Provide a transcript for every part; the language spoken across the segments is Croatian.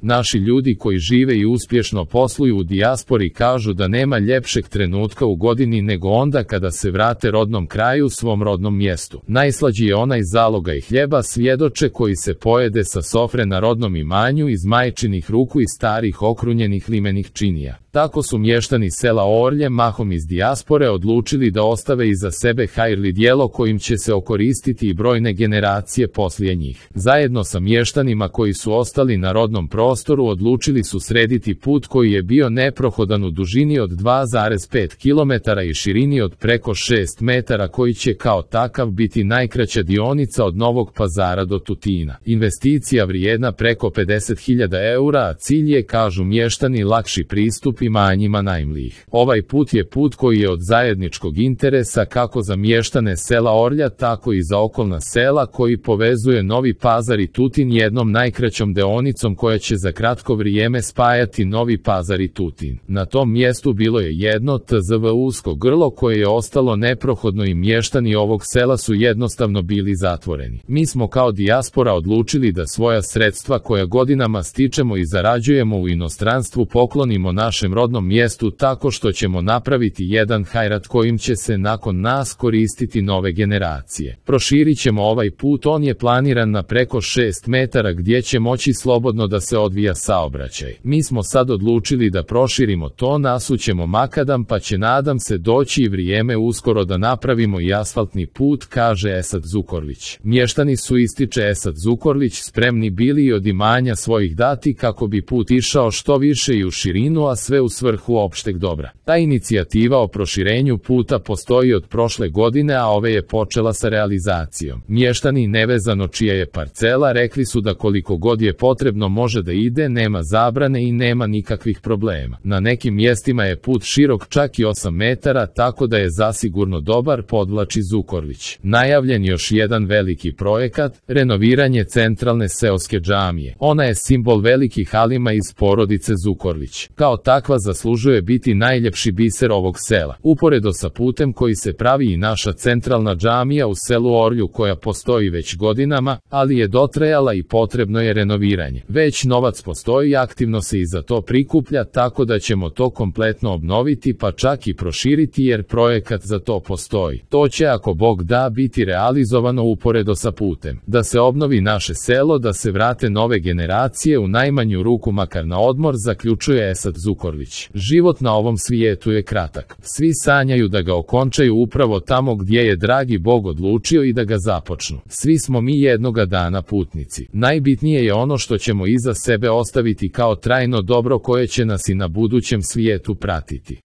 Naši ljudi koji žive i uspješno posluju u dijaspori kažu da nema ljepšeg trenutka u godini nego onda kada se vrate rodnom kraju, svom rodnom mjestu. Najslađi je onaj zalogaj hljeba, svjedoče, koji se pojede sa sofre na rodnom imanju iz majčinih ruku i starih okrunjenih limenih činija. Tako su mještani sela Orlje, mahom iz dijaspore, odlučili da ostave iza sebe hajrli djelo kojim će se okoristiti i brojne generacije poslije njih. Zajedno sa mještanima koji su ostali na rodnom prostoru odlučili su srediti put koji je bio neprohodan u dužini od 2,5 km i širini od preko 6 metara, koji će kao takav biti najkraća dionica od Novog Pazara do Tutina. Investicija vrijedna preko 50.000 eura, a cilj je, kažu mještani, lakši pristup imanjima najmlijih. Ovaj put je put koji je od zajedničkog interesa kako za mještane sela Orlja, tako i za okolna sela, koji povezuje Novi Pazar i Tutin jednom najkraćom deonicom koja će za kratko vrijeme spajati Novi Pazar i Tutin. Na tom mjestu bilo je jedno tzv. Usko grlo koje je ostalo neprohodno i mještani ovog sela su jednostavno bili zatvoreni. Mi smo kao dijaspora odlučili da svoja sredstva koja godinama stičemo i zarađujemo u inostranstvu poklonimo našem rodnom mjestu tako što ćemo napraviti jedan hajrat kojim će se nakon nas koristiti nove generacije. Proširit ćemo ovaj put, on je planiran na preko 6 metara gdje će moći slobodno da se odvija saobraćaj. Mi smo sad odlučili da proširimo to, nasućemo makadam, pa će, nadam se, doći i vrijeme uskoro da napravimo i asfaltni put, kaže Esad Zukorlić. Mještani su, ističe Esad Zukorlić, spremni bili i od imanja svojih dati kako bi put išao što više i u širinu, a sve u svrhu opšteg dobra. Ta inicijativa o proširenju puta postoji od prošle godine, a ove je počela sa realizacijom. Mještani, nevezano čija je parcela, rekli su da koliko god je potrebno može da ide, nema zabrane i nema nikakvih problema. Na nekim mjestima je put širok čak i 8 metara, tako da je zasigurno dobar, podvlači Zukorlić. Najavljen još jedan veliki projekat, renoviranje centralne seoske džamije. Ona je simbol velikih alima iz porodice Zukorlić. Kao takva zaslužuje biti najljepši biser ovog sela. Uporedo sa putem koji se pravi i naša centralna džamija u selu Orlju, koja postoji već godinama, ali je dotrajala i potrebno je renoviranje. Već novac postoji, aktivno se i za to prikuplja, tako da ćemo to kompletno obnoviti, pa čak i proširiti, jer projekat za to postoji. To će, ako Bog da, biti realizovano uporedo sa putem. Da se obnovi naše selo, da se vrate nove generacije, u najmanju ruku makar na odmor, zaključuje Esad Zukorlić. Život na ovom svijetu je kratak. Svi sanjaju da ga okončaju upravo tamo gdje je dragi Bog odlučio i da ga započnu. Svi smo mi jednoga dana putnici. Najbitnije je ono što ćemo iza sebe ostaviti kao trajno dobro koje će nas i na budućem svijetu pratiti.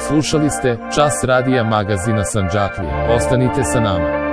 Slušali ste Čas radija magazina Sandžaklija. Ostanite sa nama.